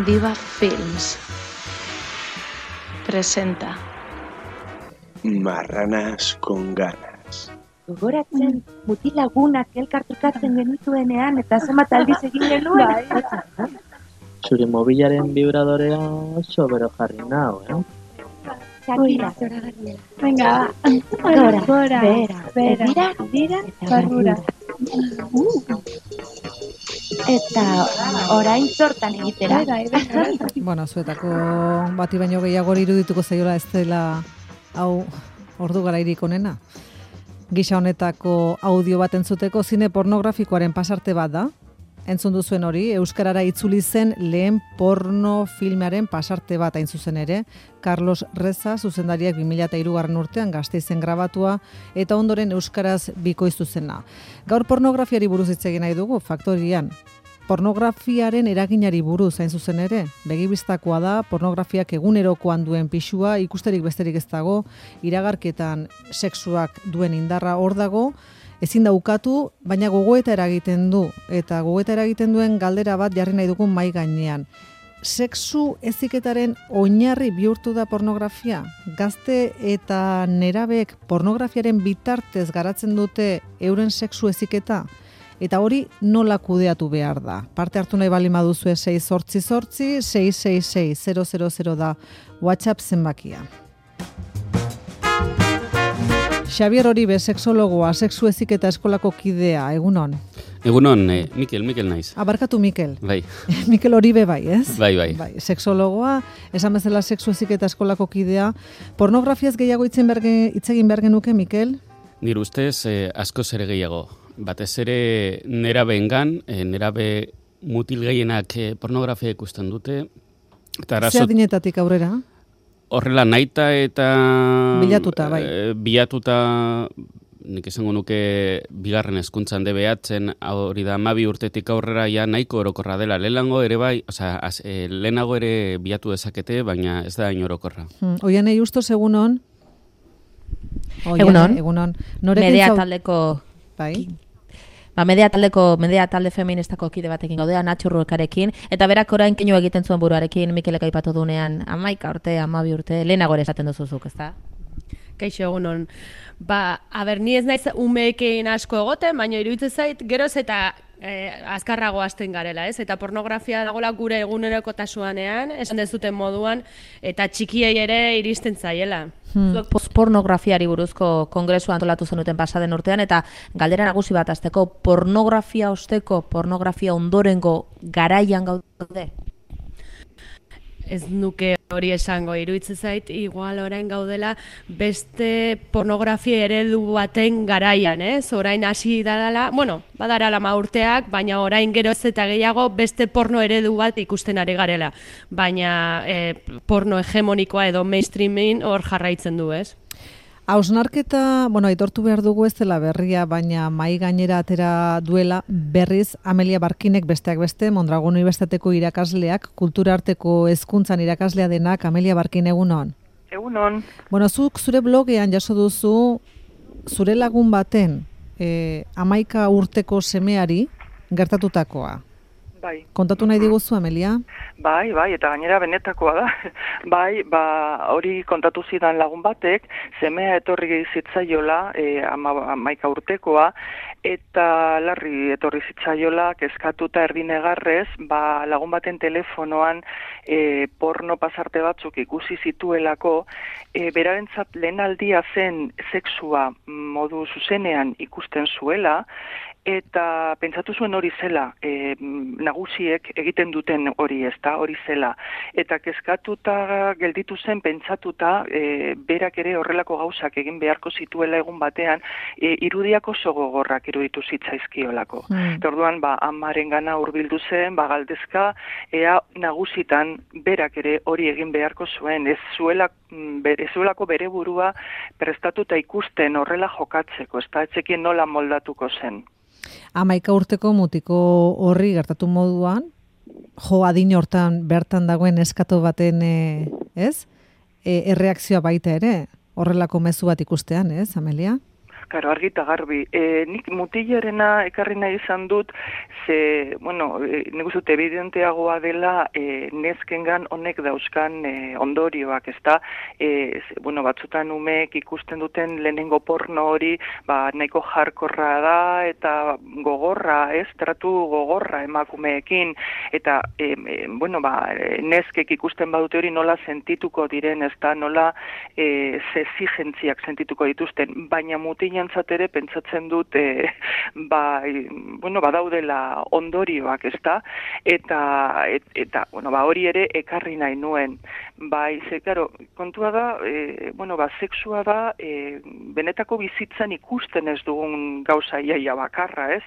Viva Films presenta Marranas con ganas. Gogoratzen mutil lagunak elkartrukatzen genituenean eta zenbat aldiz egin genuen. Zure mobilaren vibradorea oso bero jarri nau, Shakira. Venga, Gora, bera, eta barrura. Eta orain sortan egitera. Bueno, zuetako bati baino gehiago irudituko zaiola ez dela hau ordu garairik onena. Gisa honetako audio bat entzuteko zine pornografikoaren pasarte bat da. Entzun duzuen hori, euskarara itzuli zen lehen porno filmearen pasarte bat hain zuzen ere. Carlos Reza, zuzendariak 2003 urtean Gasteizen grabatua eta ondoren euskaraz bikoiztu zena. Gaur pornografiari buruz hitz egin nahi dugu, Faktorian. Pornografiaren eraginari buruz hain zuzen ere, begibistakoa da, pornografiak egunerokoan duen pixua, ikusterik besterik ez dago, iragarketan sexuak duen indarra hor dago, ezin da ukatu, baina gogoeta eragiten du, eta gogoeta eragiten duen galdera bat jarri nahi dugun mai gainean. Sexu heziketaren oinarri bihurtu da pornografia? Gazte eta nerabek pornografiaren bitartez garatzen dute euren sexu heziketa? Eta hori nola kudeatu behar da? Parte hartu nahi bali maduzue 688 666 000 da WhatsApp zenbakia. Xabier Oribe, sexologoa, sexu heziketa eskolako kidea, egunon? Egunon, Mikel naiz. Abarkatu Mikel. Bai. Mikel Oribe bai, ez? Bai. Sexologoa, esan bezala sexu heziketa eskolako kidea. Pornografiaz gehiago hitz egin behar genuke, Mikel? Nire ustez, askoz ere gehiago. Batez ere nerabeengan, nerabe mutil gehienak pornografia ikusten dute. Zer adinetatik aurrera? Horrela naita eta bilatuta, bai. Bilatuta, nik esango nuke bigarren hezkuntzan DBH-en, hori da 12 urtetik aurrera ja nahiko orokorra dela. Lehenago ere bai, lehenago ere bilatu dezakete, baina ez da hain orokorra. Oianei Justos, egunon? Egunon. Media taldeko... Bai. Media talde feministako kide batekin gaudea, Natxo Ruekarekin, eta berak orain keinu egiten zuen buruarekin, Mikelek aipatu dunean, 11 urte, 12 urte, lehenago ere esaten duzuzuk, ezta? Kaixo egunon. Ni ez naiz umeekin asko egoten, baina iruditzen zait, geroz eta azkarrago hasten garela, ez? Eta pornografia dagoela gure egunerokotasunean, esan dezuten moduan, eta txikiei ere iristen zaiela. Zuek pornografiari buruzko kongresua antolatu zenuten pasaden urtean, eta galdera nagusi bat hasteko, pornografia osteko, pornografia ondorengo garaian gaude? Ez nuke hori esango, iruditzen zait, igual orain gaudela beste pornografia eredu baten garaian, ez? Orain hasi dadala, badarala urteak, baina orain geroz eta gehiago beste porno eredu bat ikusten ari garela. Baina porno hegemonikoa edo mainstreaming hor jarraitzen du, ez? Hausnarketa, aitortu behar dugu ez dela berria, baina mai gainera atera duela berriz Amelia Barkinek besteak beste, Mondragon Unibertsitateko irakasleak, kulturarteko hezkuntzan irakaslea denak, Amelia Barkin, egunon? Egunon. Zuk zure blogean jaso duzu zure lagun baten 11 urteko semeari gertatutakoa. Bai. Kontatu nahi diguzu, Amelia? Bai, eta gainera benetakoa da. Bai, hori kontatu zidan lagun batek, semea etorri zitzaiola, 11 urtekoa, eta larri etorri zitzaiola, kezkatuta erdinegarrez, lagun baten telefonoan porno pasarte batzuk ikusi zituelako, berarentzat lehen aldia zen sexua modu zuzenean ikusten zuela, eta pentsatu zuen hori zela, nagusiek egiten duten hori, ezta, hori zela. Eta kezkatuta gelditu zen pentsatuta, berak ere horrelako gauzak egin beharko zituela egun batean, irudiak oso gogorrak iruditu zitzaizkiolako. Orduan, amarengana hurbildu zen, galdezka, ea nagusitan berak ere hori egin beharko zuen, ez zuelako bere burua prestatuta ikusten horrela jokatzeko, ezta, etzekien nola moldatuko zen. 11 urteko mutiko horri gertatu moduan, adin hortan bertan dagoen eskatu baten, erreakzioa baita ere, horrelako mezu bat ikustean, ez, Amelia? karo, argita garbi. Nik mutilerena ekarri nahi izan dut, ze, bueno, nik uste dut evidenteagoa dela neskengan honek dauzkan ondorioak, ezta? Bueno, batzutan umeek ikusten duten lehenengo porno hori, nahiko jarkorra da eta gogorra, ez? Tratu gogorra emakumeekin, eta, bueno, neskek ikusten badute hori nola sentituko diren, ezta? Nola zezigentziak sentituko dituzten, baina mutilantzat ere pentsatzen dut bueno, badaudela ondorioak, ezta? Eta bueno, hori ere ekarri nahi nuen. Claro, kontua da, bueno, sexua da benetako bizitzan ikusten ez dugun gauza iaia bakarra, ez?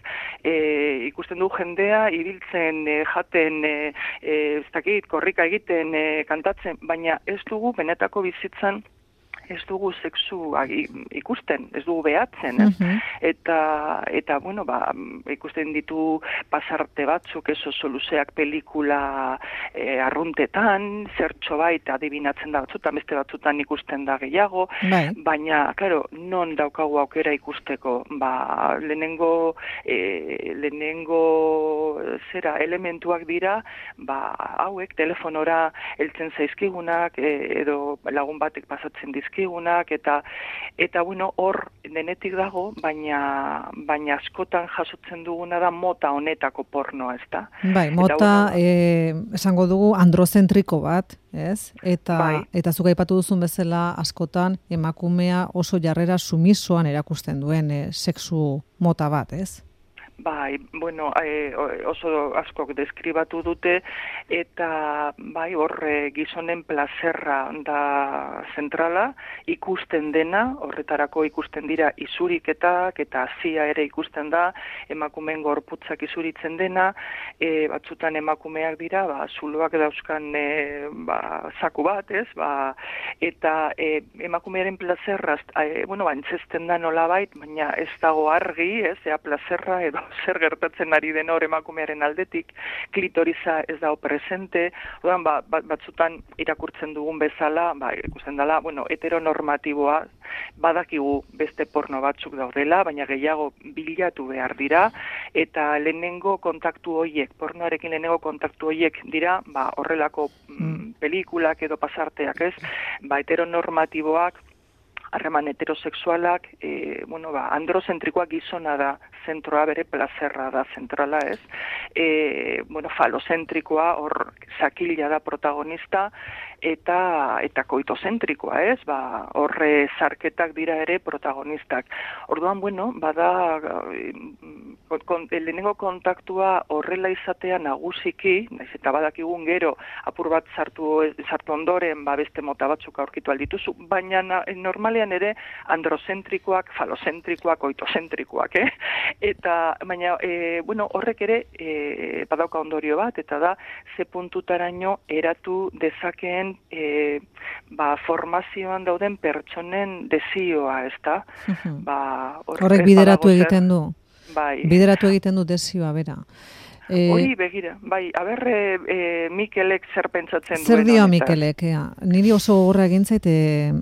Ikusten du jendea ibiltzen, jaten, ez dakit, korrika egiten, kantatzen, baina ez dugu benetako bizitzan ez dugu sexu ikusten, ez dugu behatzen, eta bueno, ikusten ditu pasarte batzuk, oso luzeak pelikula arruntetan, zertxo bait adibinatzen da batzutan, beste batzutan ikusten da gehiago, baina, claro, non daukagu aukera ikusteko, lehenengo zera elementuak dira, hauek telefonora heltzen zaizkigunak, edo lagun batek pasatzen dizkigunak, eta bueno, hor denetik dago, baina askotan jasotzen duguna da mota honetako pornoa, ezta? Mota, esango dugu, androzentriko bat, ez? Eta zuk aipatu duzun bezala askotan emakumea oso jarrera sumisoan erakusten duen sexu mota bat, ez? Bueno, oso askok deskribatu dute, eta hor gizonen plazerra da zentrala, ikusten dena, horretarako ikusten dira izuriketak, eta hazia ere ikusten da, emakumeen gorputzak izuritzen dena, batzutan emakumeak dira, zuloak dauzkan zaku bat, ez? Eta emakumearen plazerra, bueno, entzesten da nolabait, baina ez dago argi, ez? Ea plazerra edo zer gertatzen ari den hor emakumearen aldetik, klitoriza ez dago presente, orduan batzutan irakurtzen dugun bezala, ikusten dela, bueno, heteronormatiboa, badakigu beste porno batzuk daudela, baina gehiago bilatu behar dira, eta lehenengo kontaktu horiek, pornoarekin lehenengo kontaktu horiek dira, horrelako pelikulak edo pasarteak, ez? Heteronormatiboak, harreman heterosexualak, bueno, androzentrikoa gizona da, zentroa bere plazerra da zentrala, ez? Bueno, falozentrikoa, hor sakila da protagonista, eta koitozentrikoa, ez? Horre zarketak dira ere protagonistak. Orduan, bueno, lehenengo kontaktua horrela izatea nagusiki, naiz eta badakigun gero apur bat sartu ondoren beste mota batzuk aurkitu aldituzu, baina normalean ere androzentrikoak, falozentrikoak, koitozentrikoak, Eta, baina, bueno, horrek ere badauka ondorio bat, eta da, ze puntutaraino eratu dezakeen formazioan dauden pertsonen desioa, ezta? Horrek bideratu egiten du. Bideratu egiten du desioa, bera. Hori begira, Mikelek zer pentsatzen duen. Zer dio Mikelek, niri oso gogorra egin zait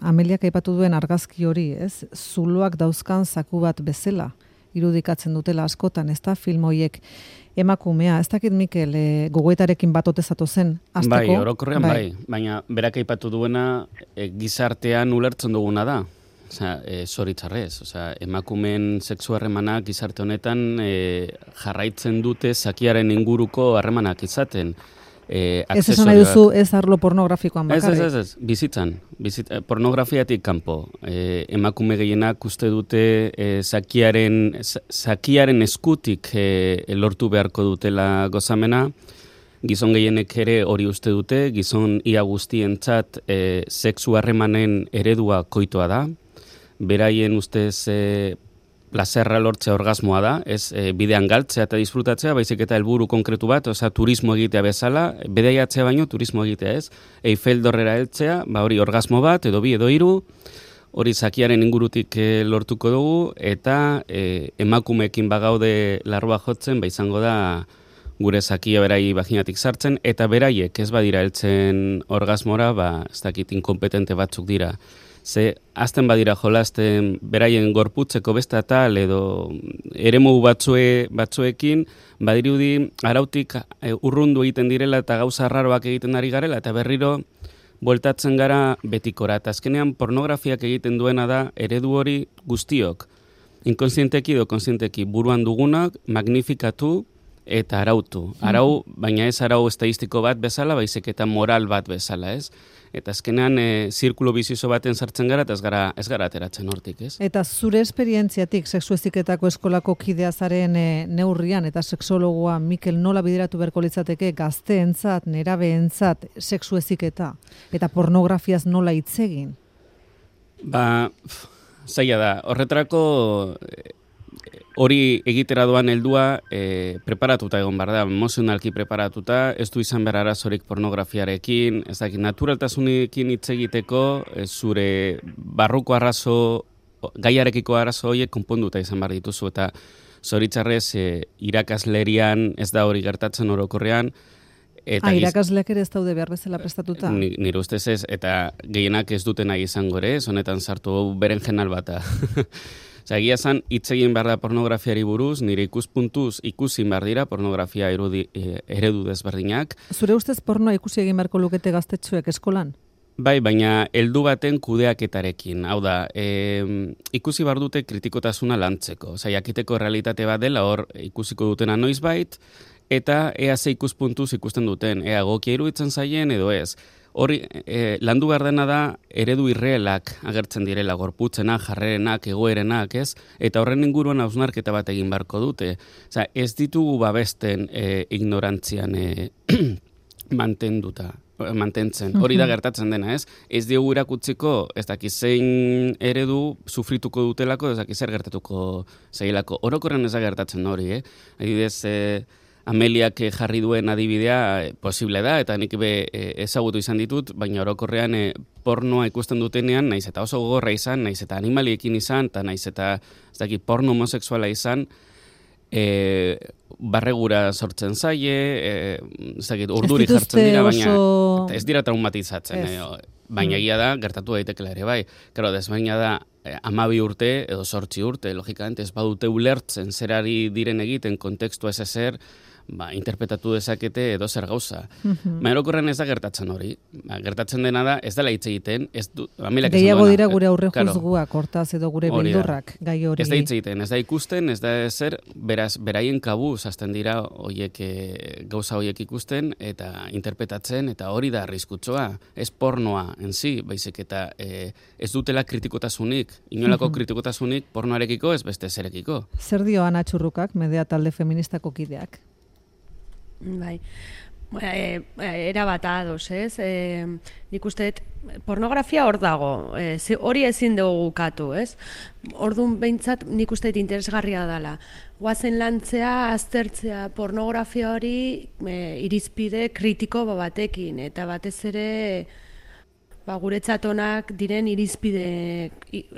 Ameliak aipatu duen argazki hori, ez? Zuloak dauzkan zaku bat bezala irudikatzen dutela askotan, ez da, film horiek emakumea, ez dakit Mikel, gogoetarekin bat otezatu zen, azteko? Orokorrean baina berak aipatu duena gizartean ulertzen duguna da. Zoritzarrez, emakumeen sexu harremanak gizarte honetan jarraitzen dute zakiaren inguruko harremanak izaten. Ez esan nahi duzu ez arlo pornografikoan bakarrik? Ez, bizitzan. Pornografiatik kanpo. Emakume gehienak uste dute zakiaren eskutik lortu beharko dutela gozamena. Gizon gehienek ere hori uste dute, gizon ia guztientzat sexu harremanen eredua koitoa da. Beraien ustez plazerra lortzea orgasmoa da, ez bidean galtzea eta disfrutatzea, baizik eta helburu konkretu bat, turismo egitea bezala, bedaiatzea baino turismo egitea, ez? Eiffel dorrera heltzea, hori orgasmo bat, edo bi, edo hiru, hori zakiaren ingurutik lortuko dugu, eta emakumeekin bagaude larrua jotzen, izango da gure zakia berai vaginatik sartzen, eta beraiek ez badira heltzen orgasmora, ez dakit inkompetente batzuk dira. Ze azten badira jolasten beraien gorputzeko beste atal edo eremu batzuekin, badirudi arautik urrundu egiten direla eta gauza arraroak egiten ari garela, eta berriro bueltatzen gara betikora. Eta azkenean pornografiak egiten duena da eredu hori guztiok, inkonsienteki edo konsienteki buruan dugunak magnifikatu eta arautu. Arau, baina ez arau estadistiko bat bezala, baizik eta moral bat bezala, ez? Eta azkenean zirkulo bizioso baten sartzen gara eta ez gara ateratzen hortik, ez? Eta zure esperientziatik sexu heziketako eskolako kidea zaren neurrian eta sexologoa Mikel nola bideratu beharko litzateke gazteentzat, nerabeentzat sexu heziketa eta pornografiaz nola hitz egin? Zaila da. Horretarako hori egitera doan heldua preparatuta egon behar da, emozionalki preparatuta, ez du izan behar arazorik pornografiarekin, ez dakit, naturaltasunekin hitz egiteko, zure barruko arazo, gaiarekiko arazo horiek konponduta izan behar dituzu, eta zoritzarrez irakaslerian ez da hori gertatzen orokorrean. Irakasleak ere ez daude behar bezala prestatuta? Nire ustez ez, eta gehienak ez duten nahi izango ere, honetan sartu beren jenal bata. Egia zan, hitz egin behar da pornografiari buruz, nire ikuspuntuz ikusin behar dira pornografia eredu desberdinak. Zure ustez pornoa ikusi egin beharko lukete gaztetxoek eskolan? Bai, baina heldu baten kudeaketarekin. Hau da, ikusi behar dute kritikotasuna lantzeko. Jakiteko realitate bat dela hor ikusiko dutena noizbait, eta ea ze ikuspuntuz ikusten duten, ea egokia iruditzen zaien edo ez. Hori, landu behar dena da eredu irrealak agertzen direla, gorputzena, jarrerenak, egoerenak, ez? Eta horren inguruan hausnarketa bat egin beharko dute. Ez ditugu babesten ignorantzian mantentzen. Hori da gertatzen dena, ez? Ez diogu irakutziko, ez dakiz zein eredu sufrituko dutelako, ez dakiz zer gertatuko zailako. Orokorren ez da gertatzen hori, Adibidez, Ameliak jarri duen adibidea posible da, eta nik ezagutu izan ditut, baina orokorrean pornoa ikusten dutenean, naiz eta oso gogorra izan, naiz eta animaliekin izan, eta naiz eta porno homosexuala izan, barregura sortzen zaie, urduri jartzen dira, baina ez dira traumatizatzen. Baina egia da, gertatu daitekela ere, bai. Karo, desbaina da, 12 urte edo 8 urte, logikamente ez badute ulertzen zerari diren egiten kontekstua ez ezer, interpretatu dezakete edo zer gauza. Orokorren ez da gertatzen hori. Gertatzen dena da, ez dela hitz egiten, gehiago dira gure aurre juzguak, hortaz edo gure beldurrak, gai hori. Ez da hitz egiten, ez da ikusten, ez da ezer, beraz, beraien kabuz hasten dira gauza horiek ikusten eta interpretatzen, eta hori da arriskutsoa. Ez pornoa enzi, baizik eta ez dutela kritikotasunik, inolako kritikotasunik pornoarekiko ez beste zerekiko. Zer dio Ana Txurrukak, Medea talde feministako kideak? Bai, era bat ados, ez? Nik uste, pornografia hor dago, hori ezin dugu ukatu, ez? Orduan behintzat nik uste interesgarria dela. Guazen lantzea, aztertzea pornografia hori irizpide kritiko batekin, eta batez ere guretzat onak diren irizpide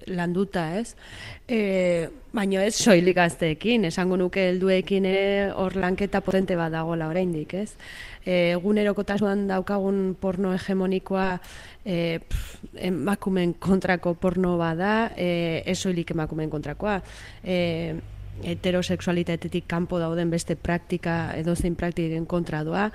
landuta, ez? Baina ez soilik gazteekin, esango nuke helduekin ere hor lanketa potente bat dagoela oraindik, ez? Egunerokotasunean daukagun porno hegemonikoa emakumeen kontrako porno bada, ez soilik emakumeen kontrakoa. Heterosexualitatetik kanpo dauden beste praktika edozein praktiken kontra doa.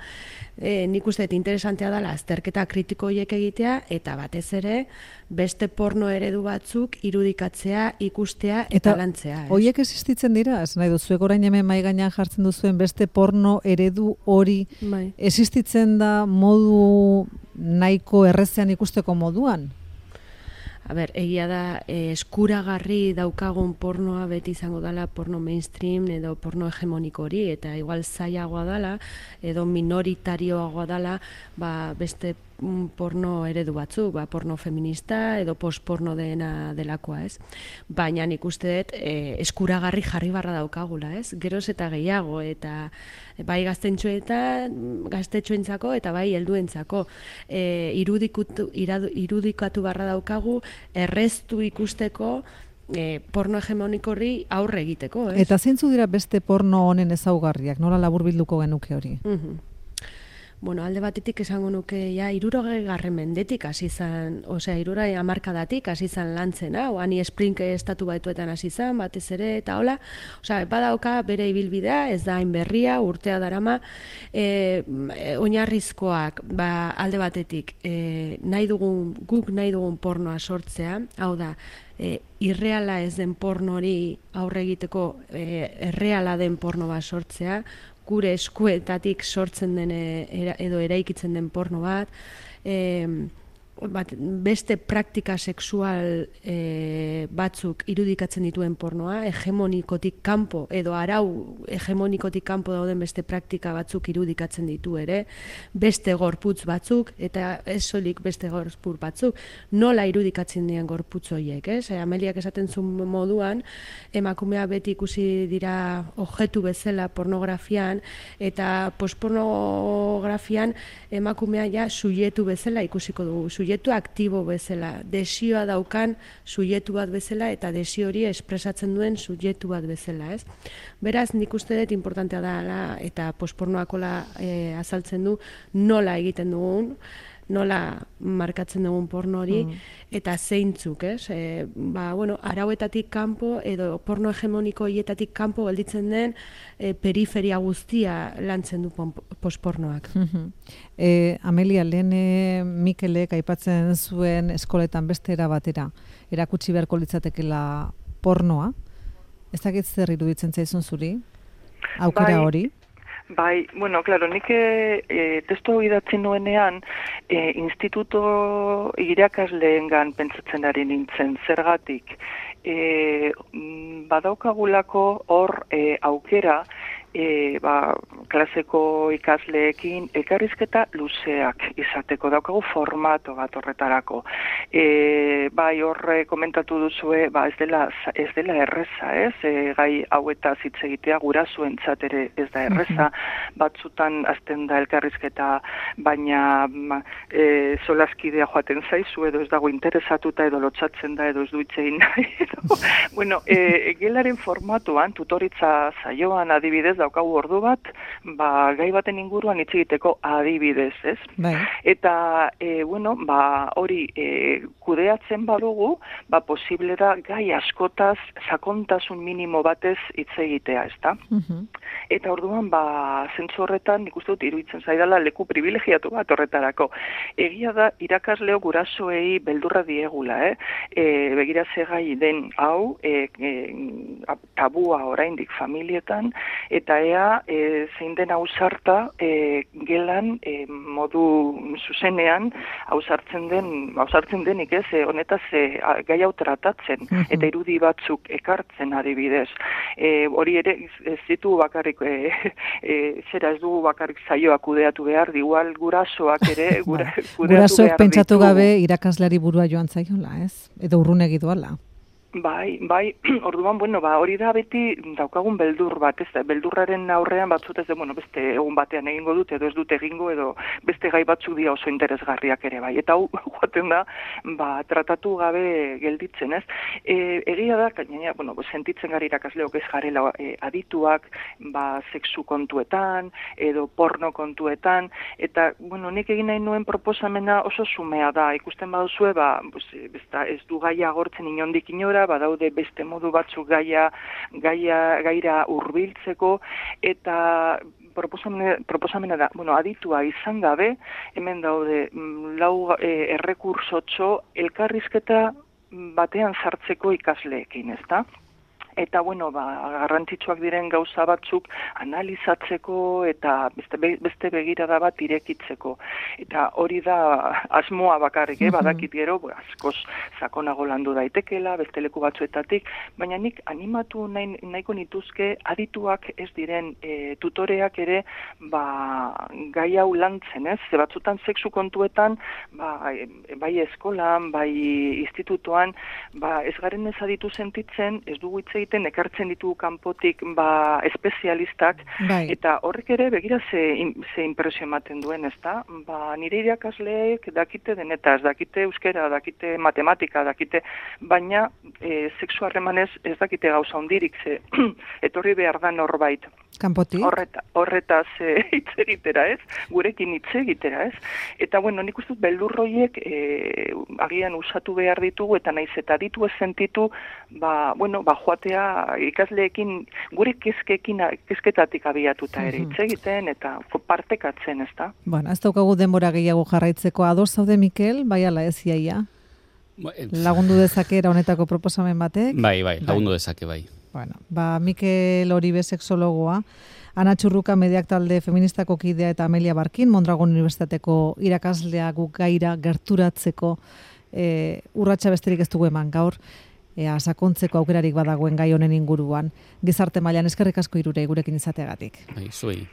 Nik uste interesantea dela azterketa kritiko horiek egitea eta batez ere beste porno eredu batzuk irudikatzea, ikustea eta lantzea. Horiek existitzen dira? Ez nahi duzuek orain hemen mahai gainean jartzen duzuen beste porno eredu hori existitzen da modu nahiko errezean ikusteko moduan? Egia da, eskuragarri daukagun pornoa beti izango dela porno mainstream edo porno hegemoniko hori, eta igual zailagoa dela, edo minoritarioagoa dela, beste porno eredu batzuk, porno feminista edo postporno delakoa, ez? Baina nik uste dut eskuragarri jarri barra daukagula, ez? Geroz eta gehiago, eta bai gaztetxoentzako eta bai helduentzako irudikatu barra daukagu erreztu ikusteko porno hegemoniko hori aurre egiteko, ez? Eta zeintzu dira beste porno honen ezaugarriak, nola laburbilduko genuke hori? bueno, alde batetik esango nuke, ja, 60 mendetik hasi zan, osea, 60 hamarkadatik hasi zan lantzen, Ani Sprink estatu batuetan hasi zan, batez ere, eta hola, osea, badauka bere ibilbidea, ez da hain berria, urtea darama, oinarrizkoak, alde batetik, guk nahi dugun pornoa sortzea, hau da, irreala ez den pornori aurre egiteko erreala den porno bat sortzea, gure eskuetatik sortzen den edo eraikitzen den porno bat, beste praktika sexual batzuk irudikatzen dituen pornoa, hegemonikotik kanpo edo arau hegemonikotik kanpo dauden beste praktika batzuk irudikatzen ditu ere, beste gorputz batzuk eta ez soilik beste gorputz batzuk, nola irudikatzen dien gorputz horiek, Ameliak esaten zuen moduan, emakumea beti ikusi dira objektu bezala pornografian eta postpornografian emakumea ja subjektu bezala ikusiko dugu, subjektu aktibo bezala, desioa daukan subjektu bat bezala eta desio hori espresatzen duen subjektu bat bezala, ez? Beraz, nik uste dut importantea da eta postpornoakola azaltzen du nola egiten dugun, nola markatzen dugun porno hori, eta zeintzuk, arauetatik kanpo edo porno hegemoniko hietatik kanpo gelditzen den periferia guztia lantzen du postpornoak. Amelia, lehen Mikelek aipatzen zuen eskoletan beste era batera, erakutsi beharko litzatekela pornoa, ez dakit zer iruditzen zaizun zuri, aukera hori? Bai, bueno, claro, nik testu idatzi nuenean instituto irakasleengan pentsatzen ari nintzen, zergatik. Badaukagulako hor aukera, klaseko ikasleekin elkarrizketa luzeak izateko, daukagu formato bat horretarako. Bai, horre komentatu duzue, ez dela erreza, gai hauetaz hitz egitea gurasoentzat ere ez da erreza, batzutan hasten da elkarrizketa, baina solaskidea joaten zaizu, edo ez dago interesatuta, edo lotsatzen da, edo ez du hitz egin nahi. Bueno, gelaren formatuan, tutoritza saioan adibidez, daukagu ordu bat, gai baten inguruan hitz egiteko adibidez, ez? Bai. Eta, hori kudeatzen badugu, posible da gai askotaz sakontasun minimo batez hitz egitea, ezta? Eta orduan, zentzu horretan, nik uste dut iruditzen zaidala leku privilegiatu bat horretarako. Egia da, irakasleo gurasoei beldurra diegula, begira ze gai den hau, tabua oraindik familietan, eta ea zein den ausarta gelan modu zuzenean ausartzen denik ez, honetaz gai hau tratatzen, eta irudi batzuk ekartzen adibidez. Hori ere ez ditu bakarrik, ez dugu bakarrik saioa kudeatu behar, igual gurasoak ere kudeatu behar ditu. Gurasoek pentsatu gabe irakasleari burua joan zaiola, ez? Edo urrunegi doala. Bai, orduan, hori da beti daukagun beldur bat, ez da, beldurraren aurrean batzut ez da, beste egun batean egingo dut, edo ez dut egingo, edo beste gai batzuk dira oso interesgarriak ere bai. Eta hau, joaten da, tratatu gabe gelditzen, ez? Egia da, gainera, sentitzen gara irakasleok ez garela adituak, sexu kontuetan, edo porno kontuetan, eta, nik egin nahi nuen proposamena oso zumea da, ikusten baduzue, ez du gaia agortzen inondik inora, badaude beste modu batzuk gaira hurbiltzeko, eta proposamena da, aditua izan gabe, hemen daude 4 errekursotxo elkarrizketa batean sartzeko ikasleekin, ezta? Eta, garrantzitsuak diren gauza batzuk analizatzeko eta beste begirada bat irekitzeko. Eta hori da asmoa bakarrik, badakit gero, askoz sakonago landu daitekela, beste leku batzuetatik, baina nik animatu nahiko nituzke adituak ez diren tutoreak ere gai hau lantzen, ez? Ze batzutan sexu kontuetan, bai eskolan, bai institutoan, ez garen ez aditu sentitzen, ez dugu hitz egiten ekartzen ditu kanpotik espezialistak, Bai. eta horrek ere begira ze impresio ematen duen, ezta? Nire irakasleek dakite denetaz, dakite euskera, dakite matematika, dakite, baina sexu harremanez ez dakite gauza hondirik, ze etorri behar da norbait. Kanpotik? Horretaz hitz egitera, ez? Gurekin hitz egitera, ez? Eta, bueno, nik uste dut beldurroiek agian usatu behar ditugu, eta naiz eta ditu ez sentitu, joatea ikasleekin, gure kezketatik abiatuta ere hitz egiten, eta partekatzen, ez da? Bueno, ez daukagu denbora gehiago jarraitzeko. Ados zaude, Mikel, bai ala ez iaia? Lagundu dezake era honetako proposamen batek? Bai, lagundu dezake, bai. Bueno, Mikel Oribe sexologoa, Ana Txurruka mediak talde feministako kidea eta Amelia Barkin, Mondragon Unibertsitateko irakaslea guk gaira gerturatzeko urratsa besterik ez dugu eman gaur, sakontzeko aukerarik badagoen gai honen inguruan. Gizarte mailan eskerrik asko hirurei gurekin izateagatik. Bai, zuei.